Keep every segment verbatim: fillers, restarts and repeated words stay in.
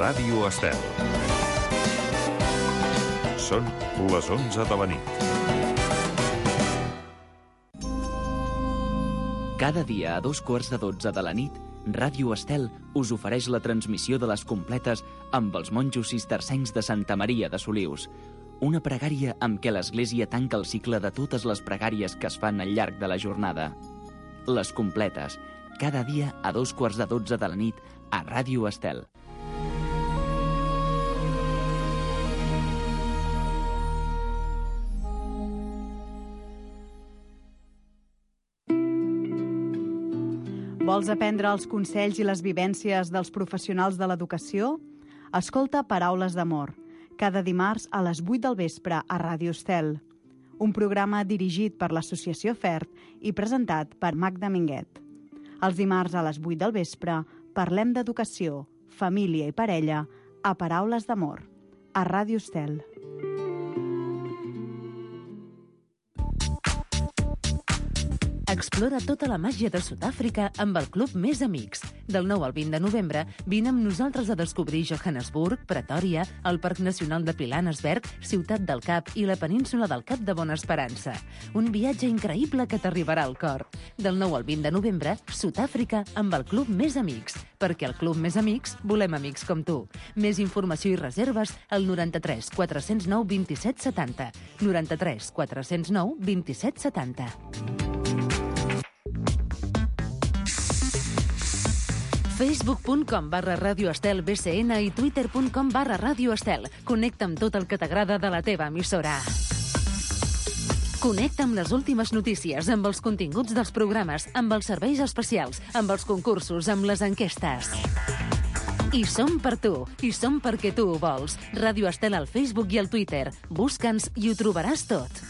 Ràdio Estel. Són les onze de la nit. Cada dia a dos quarts de dotze de la nit, Ràdio Estel us ofereix la transmissió de les completes amb els monjos cistercencs de Santa Maria de Solius. Una pregària amb què l'Església tanca el cicle de totes les pregàries que es fan al llarg de la jornada. Les completes, cada dia a dos quarts de dotze de la nit a Ràdio Estel. Vols aprendre els consells i les vivències dels professionals de l'educació? Escolta Paraules d'Amor, cada dimarts a les vuit del vespre a Ràdio Estel. Un programa dirigit per l'Associació FERT i presentat per Magda Minguet. Els dimarts a les vuit del vespre parlem d'educació, família i parella a Paraules d'Amor, a Ràdio Estel. Explora tota la màgia de Sud-àfrica amb el Club Més Amics. Del nou al vint de novembre, vine amb nosaltres a descobrir Johannesburg, Pretòria, el Parc Nacional de Pilanesberg, Ciutat del Cap i la península del Cap de Bona Esperança. Un viatge increïble que t'arribarà al cor. Del nou al vint de novembre, Sud-àfrica amb el Club Més Amics, perquè al Club Més Amics volem amics com tu. Més informació i reserves al noranta-tres quatre cents nou vint-i-set setanta. noranta-tres quatre cents nou vint-i-set setanta. facebook.com barra Radio Estel B C N i twitter.com barra Radio Estel. Connecta amb tot el que t'agrada de la teva emissora. Connecta amb les últimes notícies, amb els continguts dels programes, amb els serveis especials, amb els concursos, amb les enquestes. I som per tu, i som perquè tu ho vols. Radio Estel al Facebook i al Twitter. Busca'ns i ho trobaràs tot.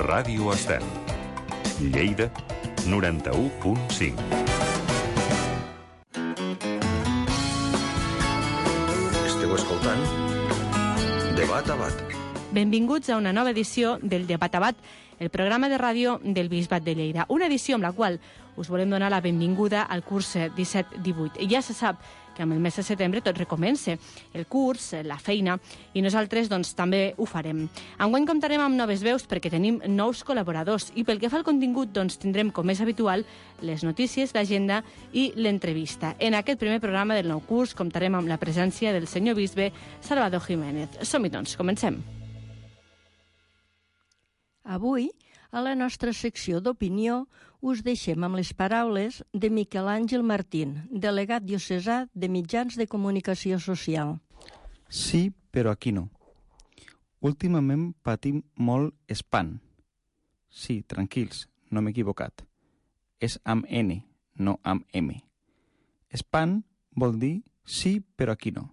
Ràdio Estel. Lleida, noranta-u punt cinc. Esteu escoltant Debat a Bat. Benvinguts a una nova edició del Debat a Bat, el programa de ràdio del Bisbat de Lleida. Una edició amb la qual us volem donar la benvinguda al curs disset divuit. I ja se sap que amb el mes de setembre tot recomença, el curs, la feina, i nosaltres doncs, també ho farem. Enguany comptarem amb noves veus perquè tenim nous col·laboradors i pel que fa al contingut doncs, tindrem, com és habitual, les notícies, l'agenda i l'entrevista. En aquest primer programa del nou curs comptarem amb la presència del senyor bisbe Salvador Jiménez. Som-hi doncs, comencem. Avui, a la nostra secció d'opinió, us deixem amb les paraules de Miquel Àngel Martín, delegat diocesà de Mitjans de Comunicació Social. Sí, però aquí no. Últimament patim molt espant. Sí, tranquils, no m'he equivocat. És amb N, no amb M. Espant vol dir sí, però aquí no.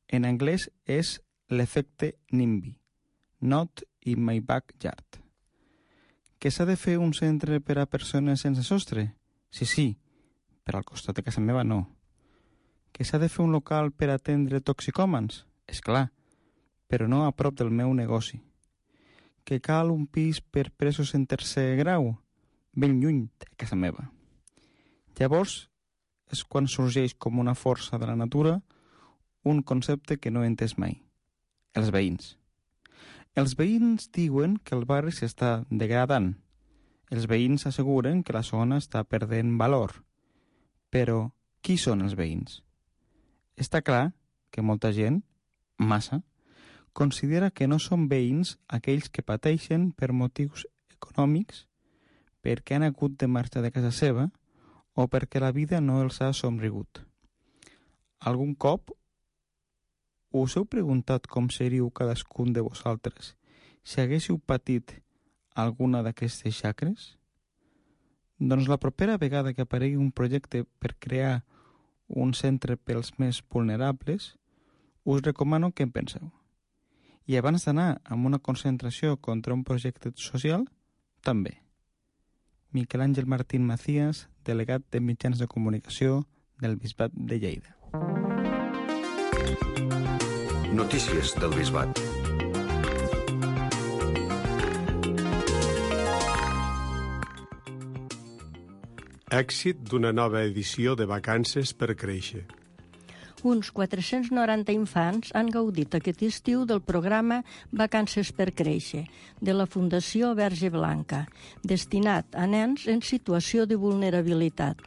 En anglès és l'efecte NIMBY, not in my backyard. Que s'ha de fer un centre per a persones sense sostre? Sí, sí, però al costat de casa meva no. Que s'ha de fer un local per atendre toxicòmans? És clar, però no a prop del meu negoci. Que cal un pis per presos en tercer grau? Ben lluny de casa meva. Llavors és quan sorgeix com una força de la natura un concepte que no he entès mai. Els veïns. Els veïns diuen que el barri s'està degradant. Els veïns asseguren que la zona està perdent valor. Però qui són els veïns? Està clar que molta gent, massa, considera que no són veïns aquells que pateixen per motius econòmics, perquè han hagut de marxar de casa seva o perquè la vida no els ha somrigut. Algun cop us heu preguntat com seríeu cadascun de vosaltres si haguéssiu patit alguna d'aquestes xacres? Doncs la propera vegada que aparegui un projecte per crear un centre pels més vulnerables, us recomano que en penseu. I abans d'anar a una concentració contra un projecte social, també. Miquel Àngel Martín Macías, delegat de Mitjans de Comunicació del Bisbat de Lleida. Notícies del Bisbat. Èxit d'una nova edició de Vacances per créixer. Uns quatre-cents noranta infants han gaudit aquest estiu del programa Vacances per créixer, de la Fundació Verge Blanca, destinat a nens en situació de vulnerabilitat.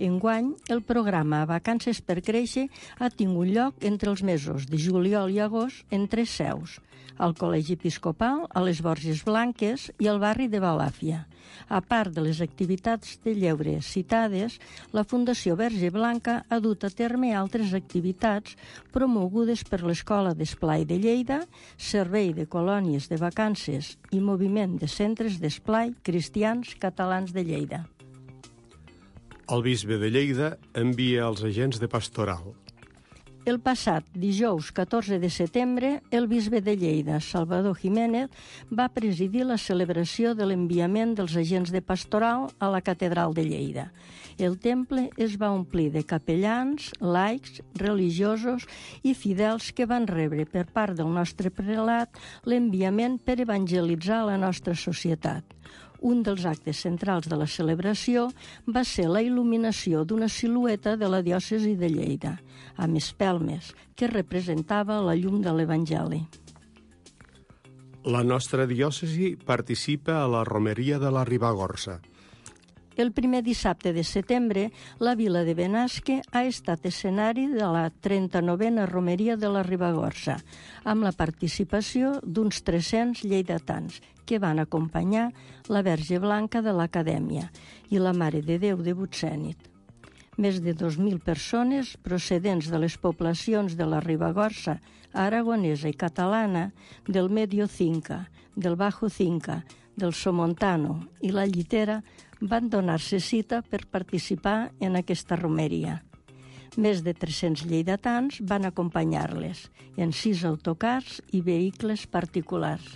Enguany, el programa Vacances per créixer ha tingut lloc entre els mesos de juliol i agost en tres seus, al Col·legi Episcopal, a les Borges Blanques i al barri de Balàfia. A part de les activitats de lleure citades, la Fundació Verge Blanca ha dut a terme altres activitats promogudes per l'Escola d'Esplai de Lleida, Servei de Colònies de Vacances i Moviment de Centres d'Esplai Cristians Catalans de Lleida. El bisbe de Lleida envia els agents de pastoral. El passat dijous catorze de setembre, el bisbe de Lleida, Salvador Jiménez, va presidir la celebració de l'enviament dels agents de pastoral a la catedral de Lleida. El temple es va omplir de capellans, laics, religiosos i fidels que van rebre per part del nostre prelat l'enviament per evangelitzar la nostra societat. Un dels actes centrals de la celebració va ser la il·luminació d'una silueta de la diòcesi de Lleida, amb espelmes, que representava la llum de l'Evangeli. La nostra diòcesi participa a la romeria de la Ribagorça. El primer dissabte de setembre, la vila de Benasque ha estat escenari de la trenta-novena romeria de la Ribagorça, amb la participació d'uns tres-cents lleidatans, que van acompanyar la Verge Blanca de l'Acadèmia i la Mare de Déu de Butsènit. Més de dos mil persones procedents de les poblacions de la Ribagorça, aragonesa i catalana, del Medio Cinca, del Bajo Cinca, del Somontano i la Llitera van donar-se cita per participar en aquesta romeria. Més de tres-cents lleidatans van acompanyar-les en sis autocars i vehicles particulars.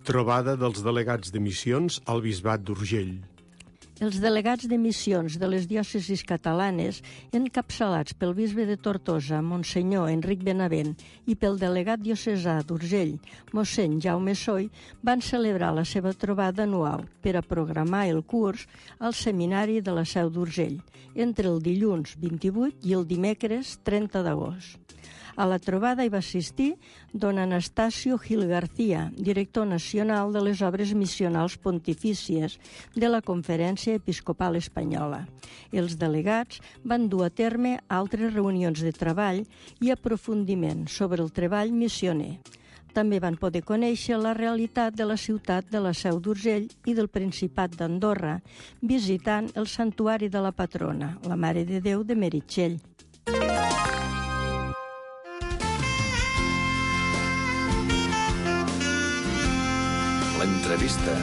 Trobada dels delegats de missions al Bisbat d'Urgell. Els delegats de missions de les diòcesis catalanes, encapçalats pel bisbe de Tortosa, Monsenyor Enric Benavent, i pel delegat diocesà d'Urgell, mossèn Jaume Soy, van celebrar la seva trobada anual per a programar el curs al seminari de la Seu d'Urgell, entre el dilluns vint-i-vuit i el dimecres trenta d'agost. A la trobada hi va assistir don Anastasio Gil García, director nacional de les obres missionals pontifícies de la Conferència Episcopal Espanyola. Els delegats van dur a terme altres reunions de treball i aprofundiment sobre el treball missioner. També van poder conèixer la realitat de la ciutat de la Seu d'Urgell i del Principat d'Andorra, visitant el santuari de la patrona, la Mare de Déu de Meritxell. L'entrevista.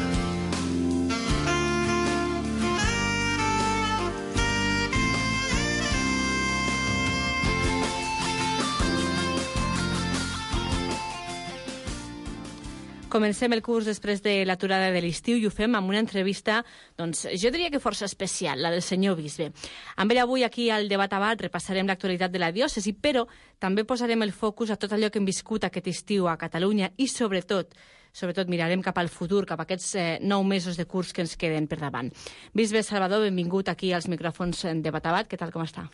Comencem el curs després de l'aturada de l'estiu i ho fem amb una entrevista, doncs, jo diria que força especial, la del senyor bisbe. Amb ell avui aquí al Debat a Bat repassarem l'actualitat de la diòcesi, però també posarem el focus a tot allò que hem viscut aquest estiu a Catalunya i sobretot, sobretot mirarem cap al futur, cap a aquests eh, nou mesos de curs que ens queden per davant. Bisbe Salvador, benvingut aquí als micròfons de Debat a Bat. Què tal, com està?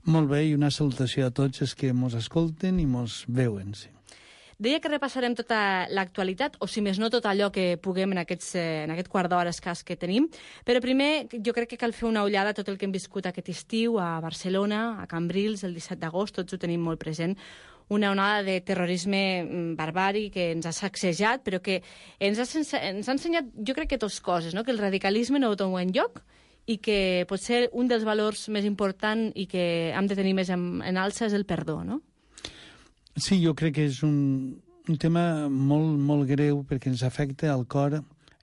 Molt bé, i una salutació a tots els que mos escolten i mos veuen, sí. Deia que repassarem tota l'actualitat, o si més no tot allò que puguem en, aquests, eh, en aquest quart d'hora escàs que tenim, però primer jo crec que cal fer una ullada a tot el que hem viscut aquest estiu a Barcelona, a Cambrils, el disset d'agost, tots ho tenim molt present, una onada de terrorisme barbari que ens ha sacsejat, però que ens ha, ens ha ensenyat, jo crec que dues coses, no? Que el radicalisme no té un lloc i que potser un dels valors més importants i que hem de tenir més en, en alça és el perdó, no? Sí, jo crec que és un, un tema molt, molt greu perquè ens afecta al cor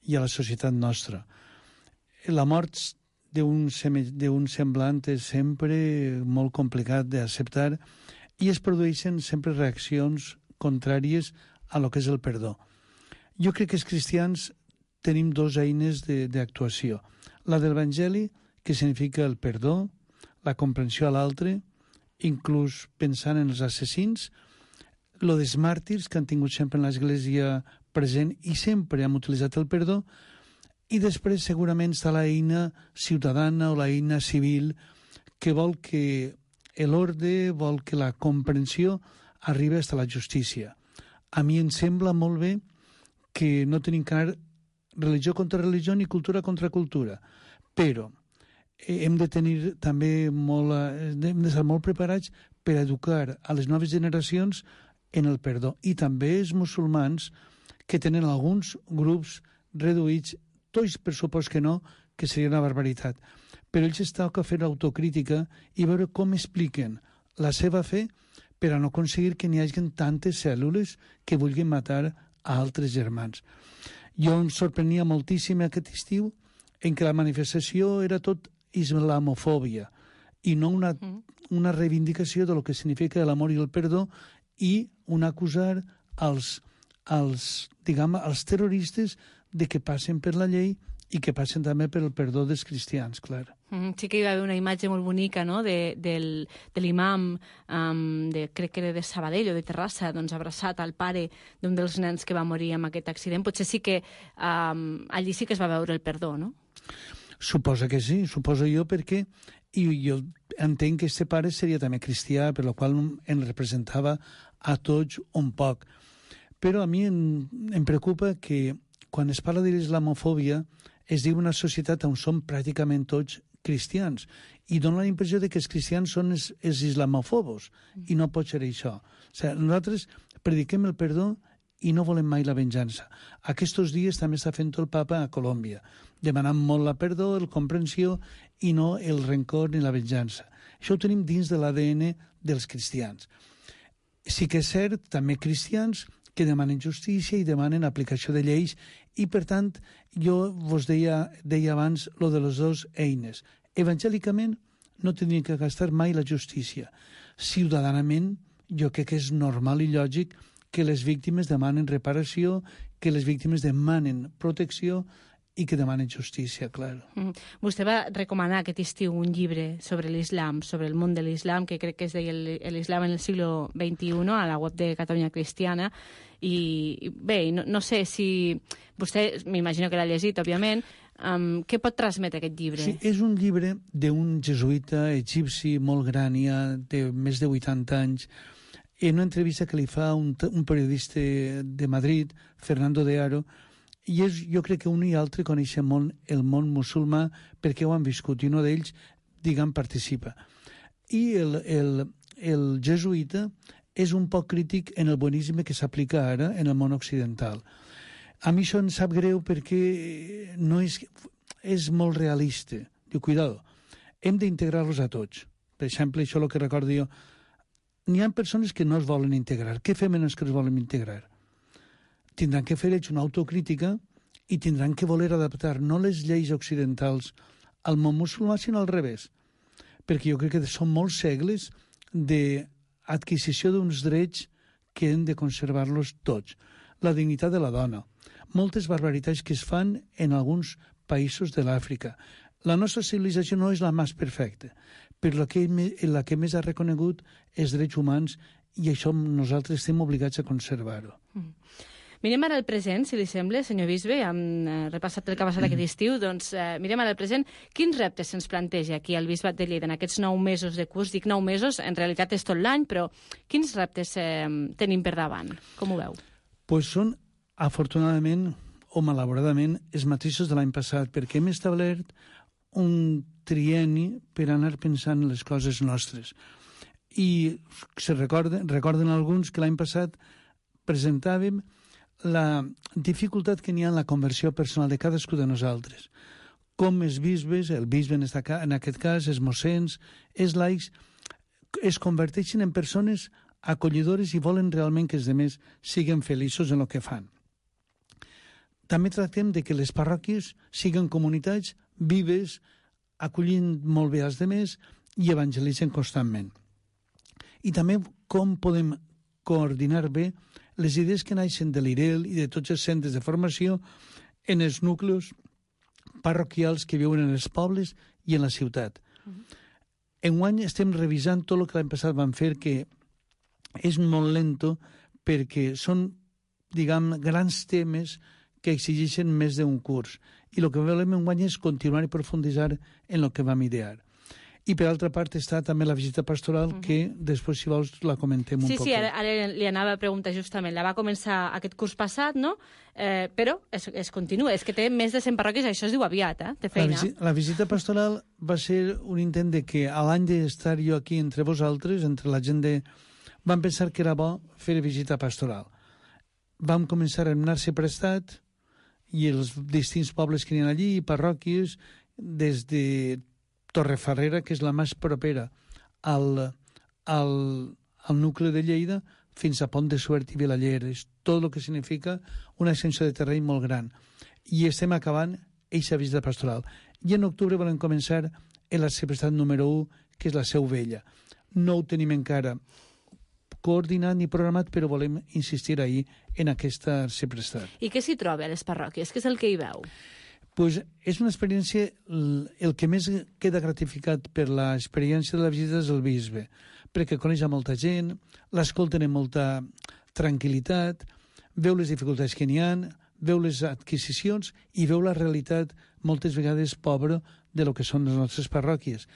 i a la societat nostra. La mort d'un semblant és sempre molt complicat d'acceptar i es produeixen sempre reaccions contràries a lo que és el perdó. Jo crec que els cristians tenim dos eines d'actuació. La de l'Evangeli, que significa el perdó, la comprensió a l'altre, inclús pensant en els assassins, lo dels màrtirs que han tingut sempre en l'Església present i sempre hem utilitzat el perdó, I després segurament està l'eina ciutadana o l'eina civil que vol que l'ordre, vol que la comprensió arribi fins a la justícia. A mi em sembla molt bé que no tenim que anar religió contra religió ni cultura contra cultura, però hem de tenir també molt, hem d'estar molt preparats per educar a les noves generacions en el perdó. I també els musulmans, que tenen alguns grups reduïts, tots per supost que no, que seria una barbaritat. Però ells es toca fer autocrítica i veure com expliquen la seva fe per a no aconseguir que n'hi hagi tantes cèl·lules que vulguin matar a altres germans. Jo em sorprenia moltíssim aquest estiu en què la manifestació era tot islamofòbia i no una, una reivindicació de lo que significa l'amor i el perdó i un acusar als, als, diguem, als terroristes de que passen per la llei i que passen també per el perdó dels cristians, clar. Mm, sí que hi va haver una imatge molt bonica, no?, de, del, de l'imam, um, de, crec que era de Sabadell o de Terrassa, doncs abraçat al pare d'un dels nens que va morir en aquest accident. Potser sí que um, allí sí que es va veure el perdó, no? Suposa que sí, suposo jo, perquè i jo entenc que este pare seria també cristià, per la qual em representava a tots un poc. Però a mi em, em preocupa que quan es parla de l'islamofòbia es diu una societat on som pràcticament tots cristians i dona la impressió de que els cristians són els, els islamofobos i no pot ser això. O sigui, nosaltres prediquem el perdó i no volem mai la venjança. Aquests dies també està fent el papa a Colòmbia, demanant molt la perdó, la comprensió i no el rencor ni la venjança. Això ho tenim dins de l'A D N dels cristians. Sí que és cert, també cristians que demanen justícia i demanen aplicació de lleis i, per tant, jo vos deia, deia abans lo de les dues eines. Evangèlicament no tindríem que gastar mai la justícia. Ciudadanament, jo crec que és normal i lògic que les víctimes demanen reparació, que les víctimes demanen protecció i que demanen justícia, clar. Mm. Vostè va recomanar aquest estiu un llibre sobre l'islam, sobre el món de l'islam, que crec que es deia l'islam en el siglo veintiuno, a la web de Catalunya Cristiana, i bé, no, no sé si vostè, m'imagino que l'ha llegit, òbviament, um, què pot transmetre aquest llibre? Sí, és un llibre d'un jesuïta egipci molt gran, ja de més de vuitanta anys, en una entrevista que li fa un, un periodista de Madrid, Fernando de Aro, i és, jo crec que un i altre coneixen molt el món musulmà perquè ho han viscut, i un d'ells, diguem, participa. I el, el, el jesuïta és un poc crític en el bonisme que s'aplica ara en el món occidental. A mi això em sap greu perquè no és, és molt realista. Diu, cuidado, hem d'integrar-los a tots. Per exemple, això és el que recordo jo. N'hi ha persones que no es volen integrar. Què fem en els que es volen integrar? Tindran que fer ells una autocrítica i tindran que voler adaptar no les lleis occidentals al món musulmà, sinó al revés. Perquè jo crec que són molts segles d'adquisició d'uns drets que hem de conservar-los tots. La dignitat de la dona. Moltes barbaritats que es fan en alguns països de l'Àfrica. La nostra civilització no és la més perfecta, però la que, la que més ha reconegut és drets humans i això nosaltres estem obligats a conservar-ho. Mm. Mirem ara el present, si li sembla, senyor bisbe, hem eh, repassat el que ha passat aquest estiu, doncs eh, mirem ara el present. Quins reptes se'ns planteja aquí al Bisbat de Lleida en aquests nou mesos de curs? Dic nou mesos, en realitat és tot l'any, però quins reptes eh, tenim per davant? Com ho veu? Pues són, afortunadament o malauradament, els mateixos de l'any passat, perquè hem establert un trienni per anar pensant en les coses nostres. I se recorden, recorden alguns que l'any passat presentàvem la dificultat que n'hi ha en la conversió personal de cadascú de nosaltres. Com els bisbes, el bisbe en aquest cas, els mossens, els laics, es converteixen en persones acollidores i volen realment que els altres siguin feliços en el que fan. També tractem de que les parròquies siguin comunitats vives, acollint molt bé els altres i evangelitzen constantment. I també com podem coordinar bé les idees que naixen de l'I R E L i de tots els centres de formació en els núcleos parroquials que viuen en els pobles i en la ciutat. Uh-huh. Enguany estem revisant tot el que l'any passat vam fer, que és molt lento perquè són, diguem, grans temes que exigeixen més d'un curs. I el que volem enguany és continuar i profunditzar en el que vam idear. I per altra part està també la visita pastoral, uh-huh. que després, si vols, la comentem un sí, poc. Sí, sí, ara, ara li anava a preguntar justament. La va començar aquest curs passat, no? Eh, però es, es continua. És que té més de cent parròquies, això es diu aviat, eh? Té feina. La, visi la visita pastoral va ser un intent de que a l'any d'estar jo aquí entre vosaltres, entre la gent de... Vam pensar que era bo fer visita pastoral. Vam començar a anar-se prestat i els distints pobles que hi ha allí, parròquies, des de Torrefarrera, que és la més propera al, al, al nucli de Lleida, fins a Pont de Suert i Vilaller. És tot el que significa una extensió de terreny molt gran. I estem acabant eixa visita pastoral. I en octubre volem començar en la Arciprestat número u, que és la Seu Vella. No ho tenim encara coordinat ni programat, però volem insistir ahir en aquesta Arciprestat. I què s'hi troba a les parròquies? Què és el que hi veu? Pues és una experiència, el que més queda gratificat per l'experiència de la visita és el bisbe, perquè coneix a molta gent, l'escolten amb molta tranquil·litat, veu les dificultats que n'hi ha, veu les adquisicions i veu la realitat moltes vegades pobra de lo que són les nostres parròquies.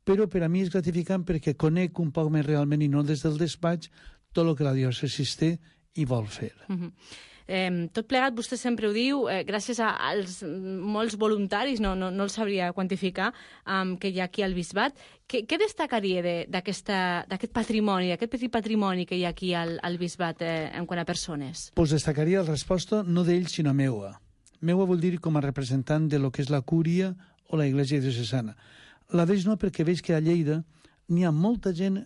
Però per a mi és gratificant perquè conec un poc més realment i no des del despatx tot el que la diòcesi té i vol fer. Uh-huh. Eh, tot plegat, vostè sempre ho diu, eh, gràcies a, als molts voluntaris, no, no, no els sabria quantificar, um, que hi ha aquí al Bisbat. Què, què destacaria d'aquest de, patrimoni, d'aquest petit patrimoni que hi ha aquí al, al Bisbat eh, en quant a persones? Pues destacaria la resposta no d'ell, sinó meua. Meua vol dir com a representant de lo que és la cúria o la Iglesia diocesana. La d'ells no, perquè veig que a Lleida n'hi ha molta gent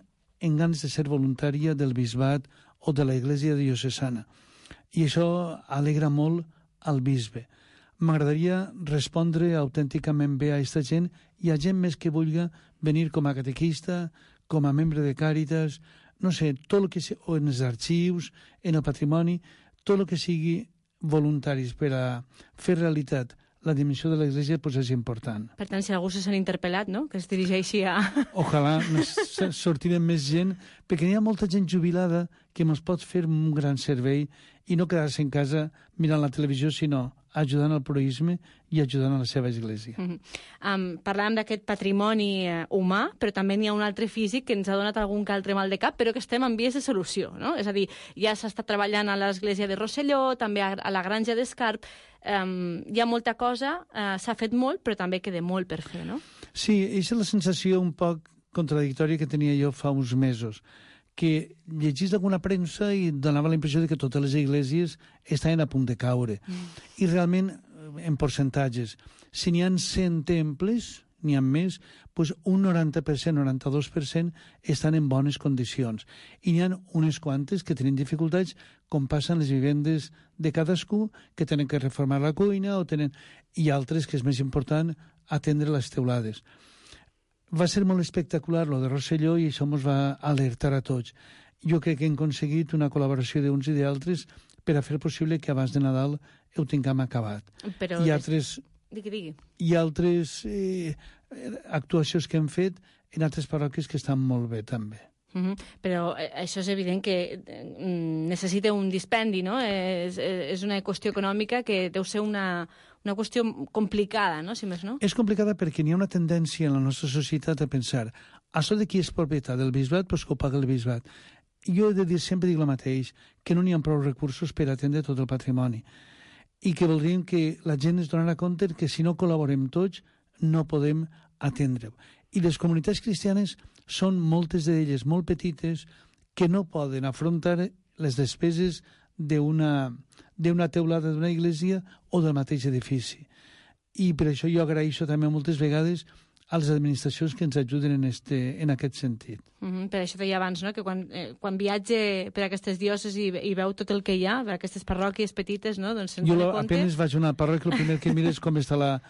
en ganes de ser voluntària del Bisbat o de la Iglesia diocesana. I això alegra molt al bisbe. M'agradaria respondre autènticament bé a aquesta gent i a gent més que vulgui venir com a catequista, com a membre de Càritas, no sé, tot el que sigui, o en els arxius, en el patrimoni, tot el que sigui voluntaris per a fer realitat la dimensió de l'Església pues, és important. Per tant, si algú se sent interpel·lat, no?, que es dirigeixi a... Ojalà sortirem més gent, perquè hi ha molta gent jubilada que ens pot fer un gran servei i no quedar-se en casa mirant la televisió, sinó ajudant al proïsme i ajudant a la seva església. Mm -hmm. um, parlàvem d'aquest patrimoni uh, humà, però també n'hi ha un altre físic que ens ha donat algun que altre mal de cap, però que estem en vies de solució, no? És a dir, ja s'està treballant a l'església de Rosselló, també a, a la granja d'Escarp, um, hi ha molta cosa, uh, s'ha fet molt, però també queda molt per fer, no? Sí, és la sensació un poc contradictòria que tenia jo fa uns mesos, que llegís alguna premsa i donava la impressió de que totes les esglésies estaven a punt de caure. Mm. I realment, en percentatges, si n'hi ha cent temples, n'hi ha més, doncs un noranta per cent, noranta-dos per cent estan en bones condicions. I n'hi ha unes quantes que tenen dificultats, com passen les vivendes de cadascú, que tenen que reformar la cuina, o tenen... i altres, que és més important, atendre les teulades. Va ser molt espectacular lo de Rosselló i això ens va alertar a tots. Jo crec que hem aconseguit una col·laboració d'uns i d'altres per a fer possible que abans de Nadal ho tinguem acabat. Però I altres, digui, digui. I altres eh, actuacions que hem fet en altres parròquies que estan molt bé també. Uh -huh. Però eh, això és evident que eh, necessita un dispendi, no? És, és una qüestió econòmica que deu ser una, una qüestió complicada, no? Si més no. És complicada perquè n'hi ha una tendència en la nostra societat a pensar això de qui és propietat del bisbat, doncs que ho paga el bisbat. Jo he de dir, sempre dic el mateix, que no n'hi ha prou recursos per atendre tot el patrimoni i que voldríem que la gent es donarà compte que si no col·laborem tots no podem atendre-ho. I les comunitats cristianes són moltes d'elles molt petites que no poden afrontar les despeses d'una d'una teulada d'una església o del mateix edifici. I per això jo agraeixo també moltes vegades a les administracions que ens ajuden en, este, en aquest sentit. Mm -hmm. Per això deia abans, no?, que quan, eh, quan viatge per aquestes diòcesis i, i veu tot el que hi ha, per aquestes parròquies petites, no?, doncs se'n dona compte... Jo apenas vaig a una parròquia, el primer que mires com està la,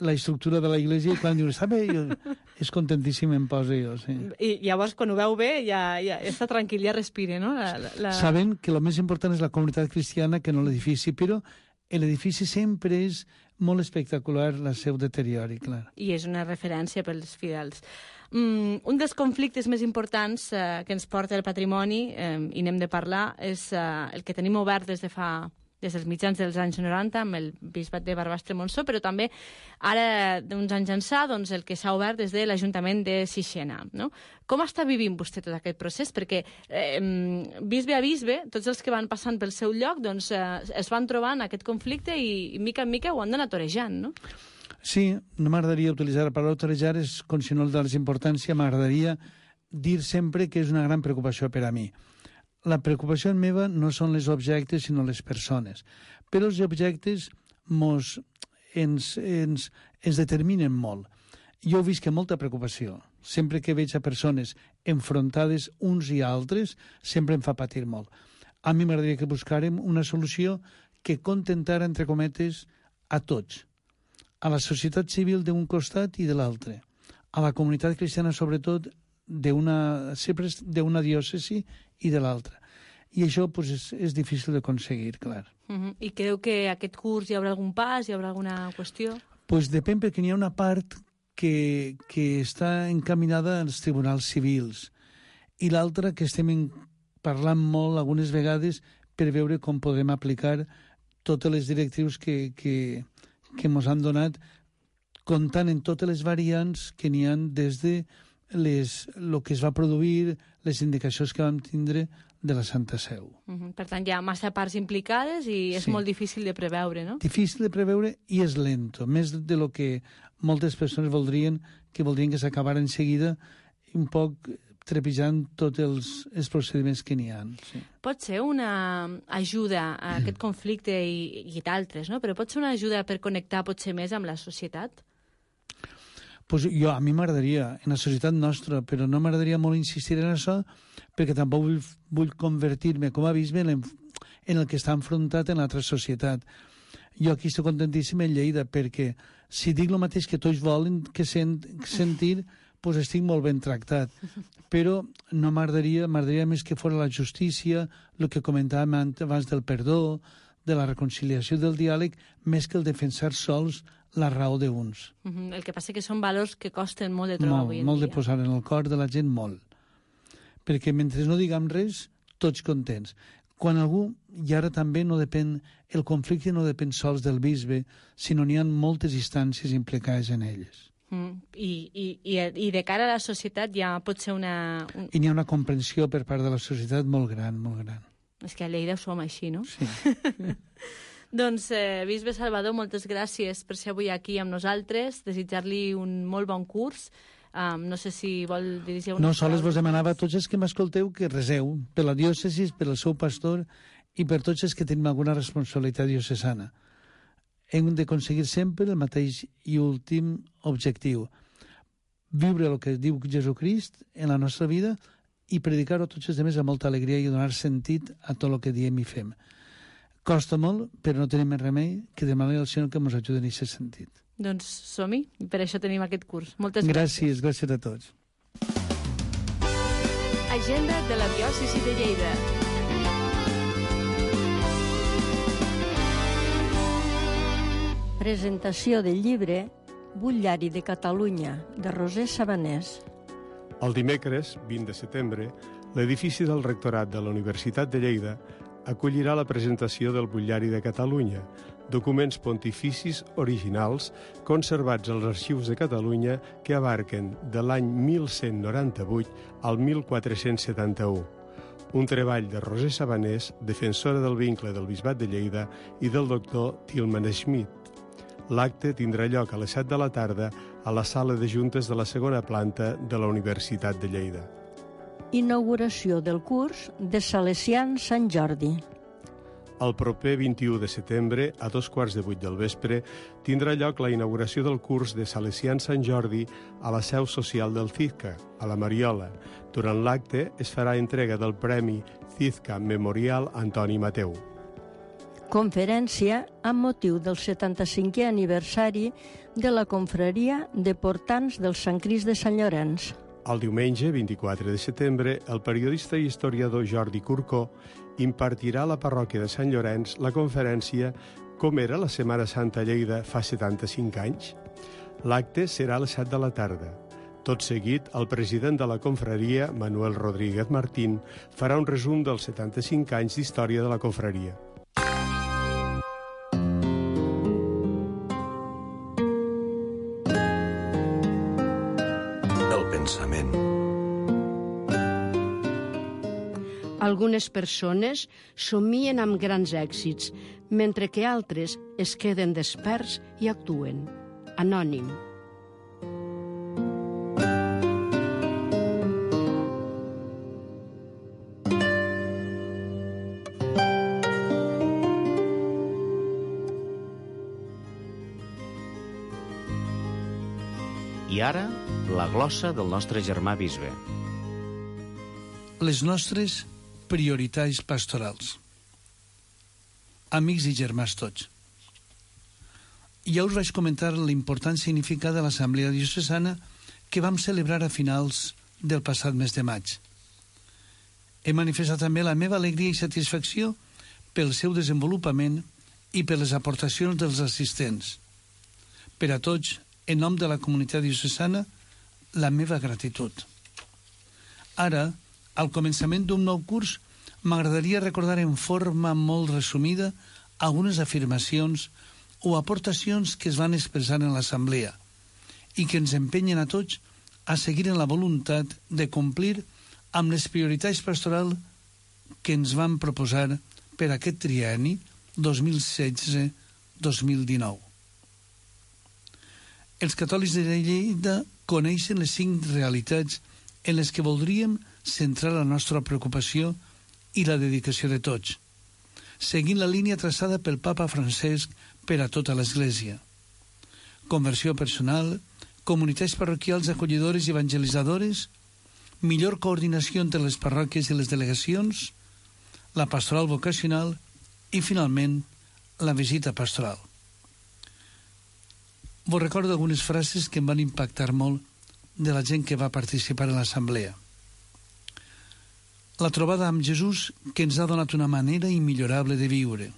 la estructura de la iglesia i quan dius, està bé, jo, és contentíssim em poso jo, sí. I llavors, quan ho veu bé, ja, ja està tranquil, ja respira, no? La, la... Saben que el més important és la comunitat cristiana que no l'edifici, però l'edifici sempre és molt espectacular el seu deteriori, clar. I és una referència pels fidels. Mm, un dels conflictes més importants eh, que ens porta el patrimoni, eh, i n'hem de parlar, és eh, el que tenim obert des de fa des dels mitjans dels anys noranta amb el bisbat de Barbastre-Montsó, però també ara, d'uns anys ençà, doncs, el que s'ha obert des de l'Ajuntament de Sixena. No? Com està vivint vostè tot aquest procés? Perquè eh, bisbe a bisbe, tots els que van passant pel seu lloc, doncs, eh, es van trobant aquest conflicte i, i mica en mica ho han d'anar torejant, no? Sí, no m'agradaria utilitzar la paraula torejar, és com si no li dones importància, m'agradaria dir sempre que és una gran preocupació per a mi. La preocupació meva no són els objectes, sinó les persones. Però els objectes mos, ens, ens, ens determinen molt. Jo visc amb molta preocupació. Sempre que veig a persones enfrontades uns i altres, sempre em fa patir molt. A mi m'agradaria que buscàrem una solució que contentara, entre cometes, a tots. A la societat civil d'un costat i de l'altre. A la comunitat cristiana, sobretot, d'una sempre d'una diòcesi i de l'altra. I això pues, és, és difícil d'aconseguir, clar. Uh-huh. I creu que aquest curs hi haurà algun pas, hi haurà alguna qüestió? Pues depèn, perquè n'hi ha una part que, que està encaminada als tribunals civils i l'altra que estem en, parlant molt algunes vegades per veure com podem aplicar totes les directrius que, que, que ens han donat, comptant en totes les variants que n'hi ha des de les, el que es va produir, les indicacions que vam tindre de la Santa Seu. Uh-huh. Per tant, hi ha massa parts implicades i és sí. molt difícil de preveure, no? Difícil de preveure i és lento, més de lo que moltes persones voldrien, que voldrien que s'acabara en seguida, un poc trepitjant tots els, els procediments que n'hi ha. Sí. Pot ser una ajuda a aquest conflicte i, i d'altres, no? Però pot ser una ajuda per connectar potser més amb la societat? Pues jo, a mi m'agradaria, en la societat nostra, però no m'agradaria molt insistir en això, perquè tampoc vull, vull convertir-me com a bisbe en, en el que està enfrontat en l'altra societat. Jo aquí estic contentíssim en Lleida, perquè si dic el mateix que tots volen que sent, sentir, pues estic molt ben tractat. Però no m'agradaria, m'agradaria més que fos la justícia, el que comentàvem abans del perdó, de la reconciliació, del diàleg, més que el defensar sols la raó d'uns. Uh-huh. El que passa que són valors que costen molt de trobar molt, avui en molt dia. de posar en el cor de la gent, molt. Perquè mentre no diguem res, tots contents. Quan algú, i ara també no depèn, el conflicte no depèn sols del bisbe, sinó n'hi ha moltes instàncies implicades en elles. Mm. I, i, i, I de cara a la societat ja pot ser una... Un... I n'hi ha una comprensió per part de la societat molt gran, molt gran. És que a Lleida som així, no? Sí. Doncs, eh, bisbe Salvador, moltes gràcies per ser avui aquí amb nosaltres, desitjar-li un molt bon curs. Um, no sé si vol dirigir una... No, sols vos demanava a tots els que m'escolteu que reseu per la diòcesi, per el seu pastor i per tots els que tenim alguna responsabilitat diocesana. Hem d'aconseguir sempre el mateix i últim objectiu. Viure el que diu Jesucrist en la nostra vida i predicar-ho a tots els altres amb molta alegria i donar sentit a tot el que diem i fem. Costa molt, però no tenim més remei que demanar al Senyor que ens ajudi en aquest sentit. Doncs som-hi, per això tenim aquest curs. Moltes gràcies. Gràcies, gràcies a tots. Agenda de la diòcesi de Lleida. Presentació del llibre Butllari de Catalunya, de Roser Sabanés. El dimecres, vint de setembre, l'edifici del rectorat de la Universitat de Lleida acollirà la presentació del Butllari de Catalunya, documents pontificis originals conservats als arxius de Catalunya que abarquen de l'any mil cent noranta-vuit al mil quatre-cents setanta-u. Un treball de Roser Sabanés, defensora del vincle del Bisbat de Lleida, i del doctor Tilman Schmidt. L'acte tindrà lloc a les set de la tarda a la sala de juntes de la segona planta de la Universitat de Lleida. Inauguració del curs de Salesians Sant Jordi. El proper vint-i-u de setembre, a dos quarts de vuit del vespre, tindrà lloc la inauguració del curs de Salesians Sant Jordi a la seu social del CISCA, a la Mariola. Durant l'acte es farà entrega del Premi CISCA Memorial Antoni Mateu. Conferència amb motiu del setanta-cinquè aniversari de la confraria de portants del Sant Crist de Sant Llorenç. El diumenge, vint-i-quatre de setembre, el periodista i historiador Jordi Curcó impartirà a la parròquia de Sant Llorenç la conferència Com era la Setmana Santa a Lleida fa setanta-cinc anys? L'acte serà a les set de la tarda. Tot seguit, el president de la confraria, Manuel Rodríguez Martín, farà un resum dels setanta-cinc anys d'història de la confraria. pensament. Algunes persones somien amb grans èxits, mentre que altres es queden desperts i actuen. Anònim. I ara, la glossa del nostre germà bisbe. Les nostres prioritats pastorals. Amics i germans tots. Ja us vaig comentar l'important significat de l'Assemblea Diocesana que vam celebrar a finals del passat mes de maig. He manifestat també la meva alegria i satisfacció pel seu desenvolupament i per les aportacions dels assistents. Per a tots, en nom de la comunitat diocesana, la meva gratitud. Ara, al començament d'un nou curs, m'agradaria recordar en forma molt resumida algunes afirmacions o aportacions que es van expressar en l'assemblea i que ens empenyen a tots a seguir en la voluntat de complir amb les prioritats pastorals que ens van proposar per aquest trienni dos mil setze dos mil dinou. Els catòlics de Lleida coneixen les cinc realitats en les que voldríem centrar la nostra preocupació i la dedicació de tots, seguint la línia traçada pel Papa Francesc per a tota l'Església. Conversió personal, comunitats parroquials acollidores i evangelitzadores, millor coordinació entre les parròquies i les delegacions, la pastoral vocacional i, finalment, la visita pastoral. Vos recordo algunes frases que em van impactar molt de la gent que va participar en l'assemblea. La trobada amb Jesús que ens ha donat una manera immillorable de viure.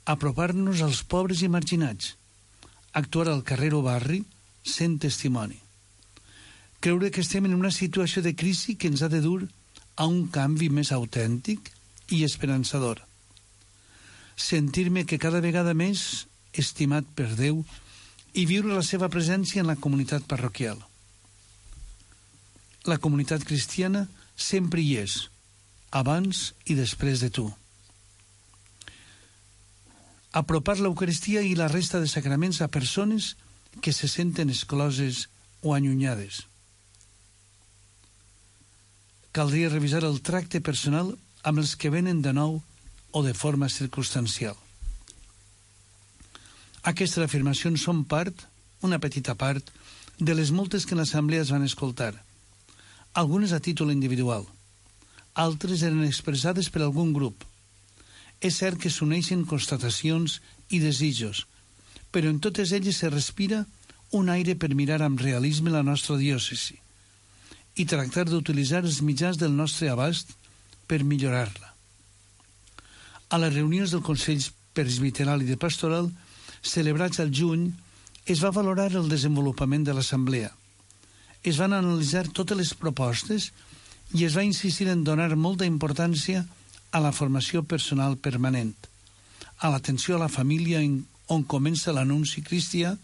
Apropar-nos als pobres i marginats. Actuar al carrer o barri sent testimoni. Creure que estem en una situació de crisi que ens ha de dur a un canvi més autèntic i esperançador. Sentir-me que cada vegada més estimat per Déu i viure la seva presència en la comunitat parroquial. La comunitat cristiana sempre hi és, abans i després de tu. Apropar l'Eucaristia i la resta de sacraments a persones que se senten excloses o allunyades. Caldria revisar el tracte personal amb els que venen de nou o de forma circumstancial. Aquestes afirmacions són part, una petita part, de les moltes que en l'assemblea es van escoltar. Algunes a títol individual. Altres eren expressades per algun grup. És cert que s'uneixen constatacions i desitjos, però en totes elles se respira un aire per mirar amb realisme la nostra diòcesi i tractar d'utilitzar els mitjans del nostre abast per millorar-la. A les reunions del Consell Presbiteral i de Pastoral celebrats al juny, es va valorar el desenvolupament de l'assemblea. Es van analitzar totes les propostes i es va insistir en donar molta importància a la formació personal permanent, a l'atenció a la família on comença l'anunci cristià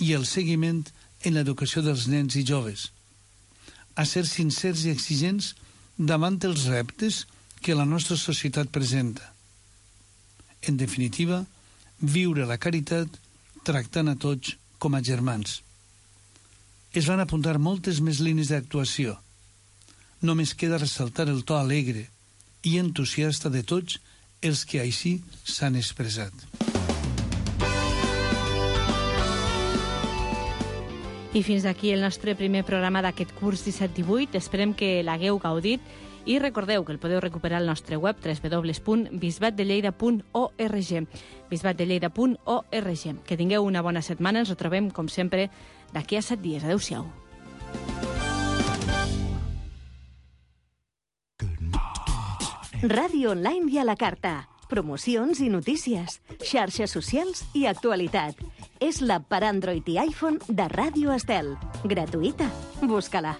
i el seguiment en l'educació dels nens i joves, a ser sincers i exigents davant els reptes que la nostra societat presenta. En definitiva, viure la caritat tractant a tots com a germans. Es van apuntar moltes més línies d'actuació. Només queda ressaltar el to alegre i entusiasta de tots els que així s'han expressat. I fins aquí el nostre primer programa d'aquest curs disset divuit. Esperem que l'hagueu gaudit i recordeu que el podeu recuperar al nostre web w w w punt bisbat de lleida punt org bisbat de lleida punt org. Que tingueu una bona setmana. Ens retrobem, com sempre, d'aquí a set dies. Adéu-siau. Ràdio online i a la carta. Promocions i notícies, xarxes socials i actualitat. És l'app per Android i iPhone de Ràdio Estel. Gratuïta. Busca-la.